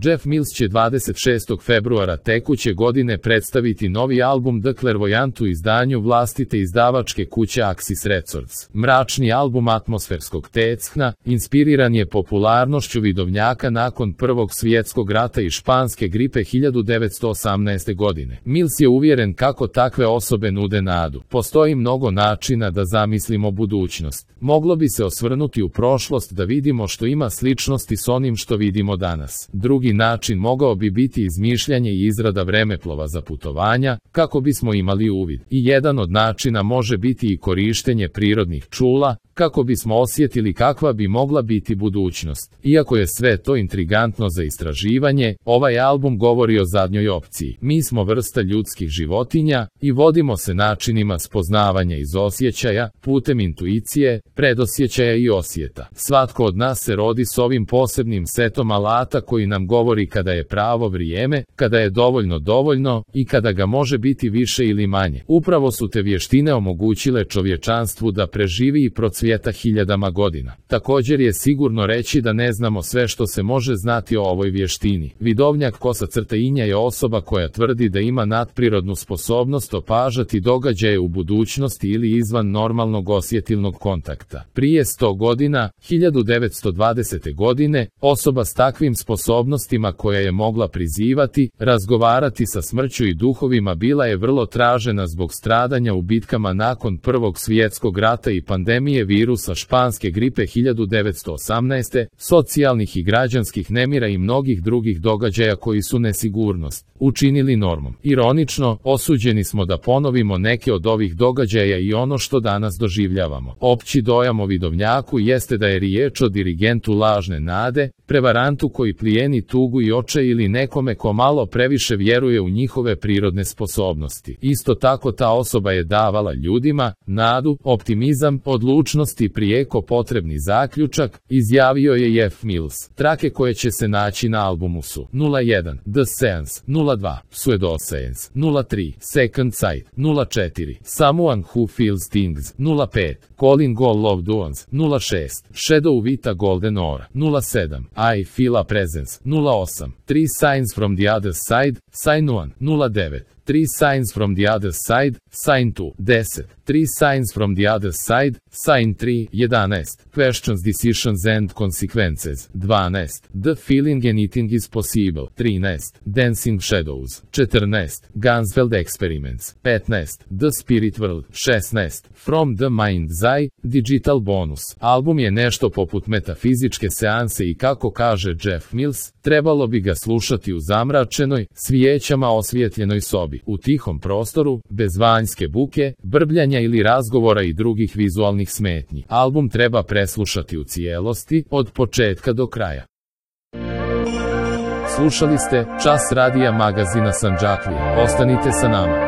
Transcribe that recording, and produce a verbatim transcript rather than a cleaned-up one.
Jeff Mills će dvadeset šestog februara tekuće godine predstaviti novi album The Clairvoyant u izdanju vlastite izdavačke kuće Axis Records. Mračni album atmosferskog tecna inspiriran je popularnošću vidovnjaka nakon Prvog svjetskog rata i španske gripe hiljadu devetsto osamnaeste. godine. Mills je uvjeren kako takve osobe nude nadu. Postoji mnogo načina da zamislimo budućnost. Moglo bi se osvrnuti u prošlost da vidimo što ima sličnosti s onim što vidimo danas. Drugi način mogao bi biti izmišljanje i izrada vremeplova za putovanja, kako bismo imali uvid. I jedan od načina može biti i korištenje prirodnih čula, kako bismo osjetili kakva bi mogla biti budućnost. Iako je sve to intrigantno za istraživanje, ovaj album govori o zadnjoj opciji. Mi smo vrsta ljudskih životinja i vodimo se načinima spoznavanja iz osjećaja, putem intuicije, predosjećaja i osjeta. Svatko od nas se rodi s ovim posebnim setom alata koji nam govori kada je pravo vrijeme, kada je dovoljno dovoljno i kada ga može biti više ili manje. Upravo su te vještine omogućile čovječanstvu da preživi i procvjeta hiljadama godina. Također je sigurno reći da ne znamo sve što se može znati o ovoj vještini. Vidovnjak kosa crtainja je osoba koja tvrdi da ima nadprirodnu sposobnost opažati događaje u budućnosti ili izvan normalnog osjetilnog kontakta. Prije sto godina, hiljadu devetsto dvadesete. godine, osoba s takvim sposobnostima koja je mogla prizivati, razgovarati sa smrću i duhovima bila je vrlo tražena zbog stradanja u bitkama nakon Prvog svjetskog rata i pandemije virusa španske gripe hiljadu devetsto osamnaeste. socijalnih i građanskih nemira i mnogih drugih događaja koji su nesigurnost učinili normom. Ironično, osuđeni smo da ponovimo neke od ovih događaja i ono što danas doživljavamo. Opći dojam o vidovnjaku jeste da je riječ o dirigentu lažne nade, prevarantu koji plijeni tugu i očaj ili nekome ko malo previše vjeruje u njihove prirodne sposobnosti. Isto tako ta osoba je davala ljudima nadu, optimizam, odlučnost i prijeko potrebni zaključak, izjavio je Jeff Mills. Trake koje će se naći na albumu su nula jedan The Seance, nula dva Pseudoseance, nula tri Second Sight, nula četiri Someone Who Feels Things, nula pet Calling All Loved Ones, nula šest Shadow Vita Golden Aura, nula sedam I Feel a Presence, nula osam Three Signs from the Other Side, Sign one, nula devet Three Signs from the Other Side, Sign two, deset Three Signs from the Other Side, Sign three, jedanaest Questions, Decisions and Consequences, dvanaest The Feeling Anything is Possible, trinaest Dancing Shadows, četrnaest Gansfeld Experiments, petnaest The Spirit World, šesnaest From the Mind's Eye, Digital Bonus. Album je nešto poput metafizičke seanse i kako kaže Jeff Mills, trebalo bi ga slušati u zamračenoj, svijećama osvijetljenoj sobi, u tihom prostoru, bez vanjske buke, brbljanja ili razgovora i drugih vizualnih smetnji. Album treba preslušati u cijelosti, od početka do kraja. Slušali ste Čas radija magazina Sandžaklije. Ostanite sa nama.